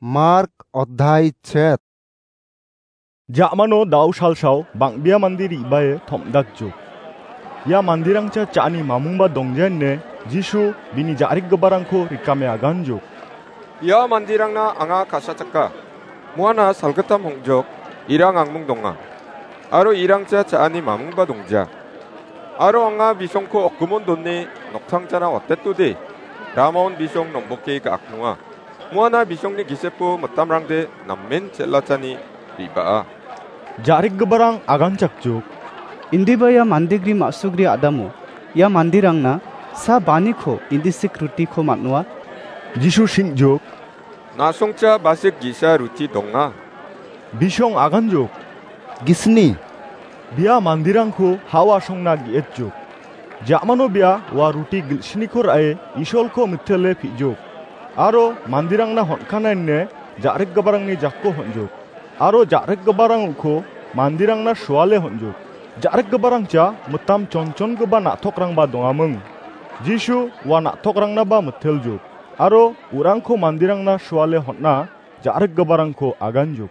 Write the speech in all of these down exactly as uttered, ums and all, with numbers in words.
Mark odhai chet. Ja·mano dao salsao bang·bea mande re·bae tom·dakjok. Ia manderangcha cha·ani mamungba dongja ine Jisu bini ja·rikgiparangko rikame aganjok. Ia manderangna anga ka·sachaka. Muana salgittam hong·jok, irang angmung donga. Aro irangcha cha·ani mamungba dongja. Aro anga bisongko okgimon done noktangchana watetode, ramaon bisong nomboke ga·aknonga. Muana bisongni gisepo mitamrangde namen chel·achani re·baa. Ja·rikgiparang aganchakjok. Indiba ia mandegri ma·sugri a·damo ia manderangna sa baniko indisik rutiko man·oa? Jisu sing·jok. Na·songcha basik gi·sa ruti donga. Bisong aganjok. Gisni. Bia manderangko ha·o asongna ge·etjok. Ja·mano bia ua ruti gilsniko ra·e Isolko mitele pi·jok. Aro manderangna hon·kana ine ja·rikgiparangni jakko hon·jok. Aro ja·rikgiparang uko manderangna suale hon·jok. Ja·rikgiparangcha mitam chonchongipa na·tokrangba dongaming. Jisu ua na·tokrangnaba miteljok. Aro urangko manderangna suale hon·a ja·rikgiparangko aganjok.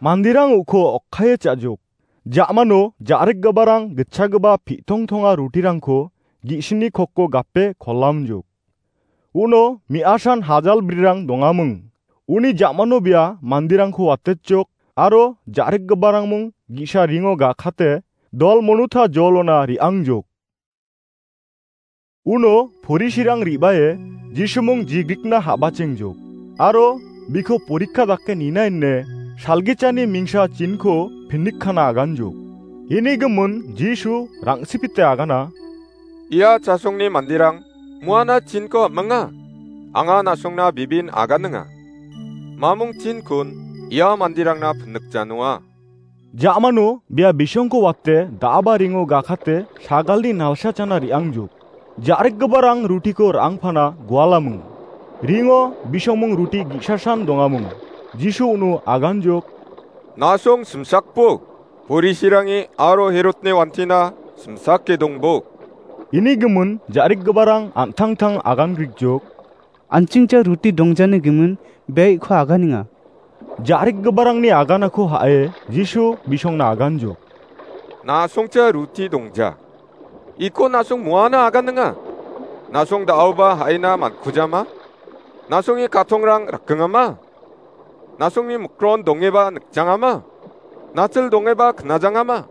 Manderang uko okkaie cha·jok. Ja·mano ja·rikgiparang gitchagipa pi·tongtonga rutirangko gi·sini kokko gape kolamjok. Uno me·asan hajal brirang dongaming. Uni ja·mano bia manderangko watetjok aro ja·rikgiparangmung gi·sa ringo gakate dol monuta jolona re·angjok. Uno porisirang re·bae Jisumung jigrikna ha·bachengjok aro biko porikka dake nina ine salgichani mingsa chinko pinikkana aganjok. Ini gimin Jisu rang·sipite agana. Ia chasongni manderang muana chinko am·enga. Anga na·songna bibin aganinga. Mamung chinkon ia manderangna pinikjanoa. Ja·mano bia bisongko wate da·aba ringo gakate sagalni nalsachana re·angjok. Ja·rikgiparang rutiko ra·angpana gualaming. Ringo bisongmung ruti gi·sasan dongaming. Jisu uno aganjok. Na·song simsakbo, porisirangi aro Herotni wantina simsake dongbo. Ini gimin ja·rikgiparang an·tangtang agangrikjok. An·chingcha ruti dongjani gimin bia iko aganinga. Ja·rikgiparangni aganako ha·e Jisu bisongna aganjok. Na·songcha ruti dongja. Iko na·song muana aganinga. Na·song da·oba ha·ina mankujama. Na·songni katongrang rakingama. Na·songni mikron dongeba nikjangama. Nachil dongeba knajangama.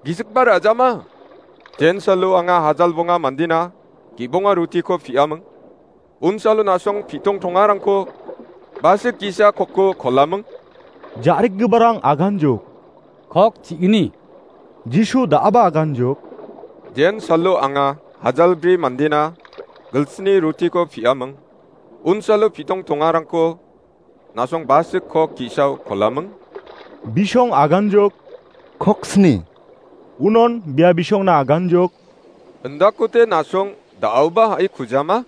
Gisikba ra·jama. Jensalo anga hajal bonga mandina gibonga rutiko pi·aming. Unsalo na·song pi·tong tongarangko basik gi·sa kokko kolaming. Ja·rikgiparang aganjok. Kok chi·gni. Jisu da·aba aganjok. Jensalo anga hajalbri mandina gilsni rutiko pi·aming. Unsalo pi·tong tongarangko na·song basik kok gi·sao kolaming. Bisong aganjok. Kok sni. Unon bia bisongna aganjok. Indakote na·song da·oba ha·i kujama?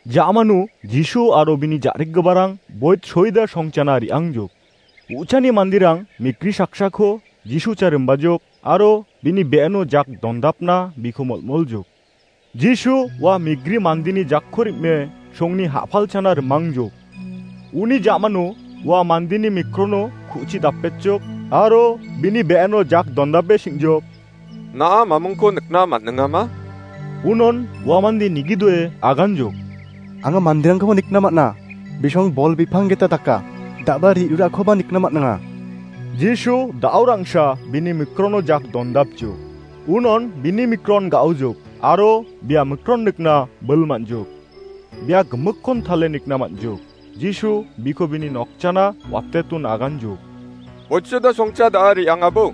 Ja·mano Jisu aro bini ja·rikgiparang boit soida songchana re·angjok. U·chani manderang mikri saksako Jisu cha rimbajok aro bini be·eno jak dondapna biko molmoljok. Jisu ua migri mandeni jakko rim·e songni ha·palchana rimangjok. Uni ja·mano ua mandeni mikrono ku·chi dapetjok aro bini be·eno jak dondape sing·jok. Na·a mamungko nikna man·ningama? Unon ua mande nigidoe aganjok. Anga manderangkoba nikna man·a. Bisong bol bipang gita daka. Da·ba ri·urakoba nikna man·a. Jisu da·o rangsa bini mikrono jak dondapjok. Unon bini mikron ga·ojok aro bia mikron nikna bil man·jok. Bia gimikkon tale nikna man·jok. Jisu biko bini nokchana watetun aganjok. Otsoda songcha da·a re·angabo.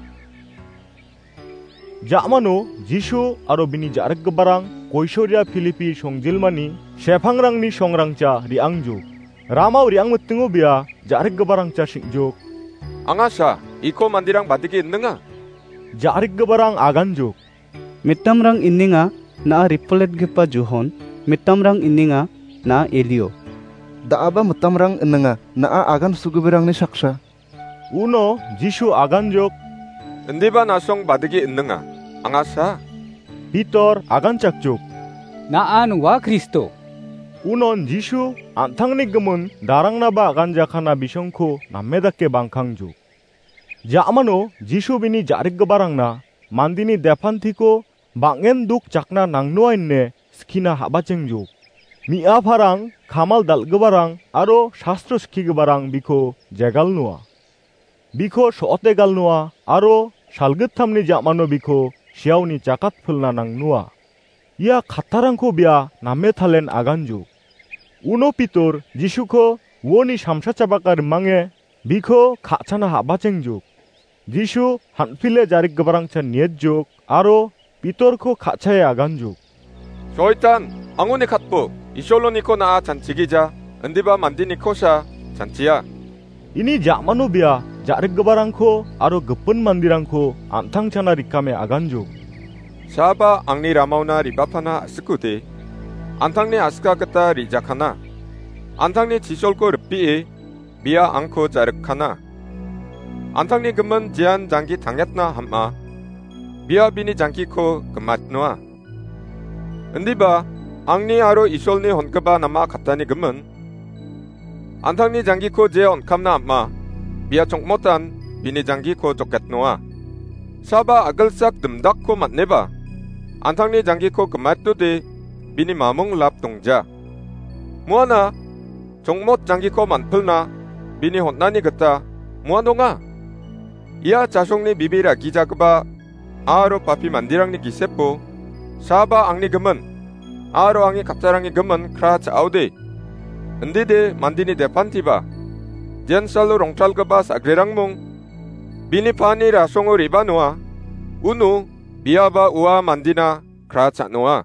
Ja·mano Jisu aro bini ja·rikgiparang Koisoria Pilipi songjilmani sepangrangni songrangcha re·angjok. Ramao re·angmitingo bia ja·rikgiparangcha sing·jok. Anga sa, iko manderang badike inninga? Ja·rikgiparang aganjok. Mitamrang inninga na·a ripoletgipa Johon, mitamrang inninga na·a Elio. Da·aba mitamrang inninga na·a agan sugibirangni saksa. Uno Jisu aganjok. Indiba na·song badike inninga, anga sa. Pitor aganchakjok. Na·an ua Kristo. Unon Jisu an·tangni gimin darangnaba aganjakana bisongko name dake bangkangjuk. Ja·mano Jisu bini ja·rikgiparangna mandini depantiko bang·en duk jakna nangnoa ine skina habachengjok. Mi·aparang, kamal dal·giparang aro sastro skigiparang biko jegalnoa. Biko so·ote galnoa aro salgittamni ja·mano biko siaoni jakatpilna nangnoa. Ia kattarangko bia name talen aganjuk. Uno Pitor Jisuko uoni samsachapaka rimange biko ka·chana habachengjok. Jisu han·pile ja·rikgiparangchan nietjok aro Pitorko ka·chae aganjuk. Soitan, angoni katbo, Isoloniko na·a chanchigija, indiba mandinikosa chanchia. Ini ja·mano bia ja·rikgiparangko aro gipin mandirangko an·tangchana rikame aganjuk. Saba angni ramaona ribapana a·sikode, an·tangni a·sika gita rijakana. An·tangni chisolko ripee, bia angko ja·rikkana. An·tangni gimin jean janggi tangetna ham·a, bia bini janggiko gimatnoa. Indiba, angni aro Isolni hongipa nama kattani gimin, an·tangni janggiko je on·kamna am·a, bia chongmotan bini janggiko joketnoa. Saba a·gilsak dimdakko man·eba, an·tangni janggiko gimatode bini mamung lap dongja. Muana, chongmot janggiko man·pilna bini hon·ani gita muan donga. Ia chasongni bibira gijagipa aro papi manderangni gisepo, saba angni gimin aro angni kattarangni gimin kra cha·ode, indide mandini depantiba, jensalo rongtalgipa sa·grerangmung bini pani rasongo re·banoa, uno biaba ua mandina kra cha·noa.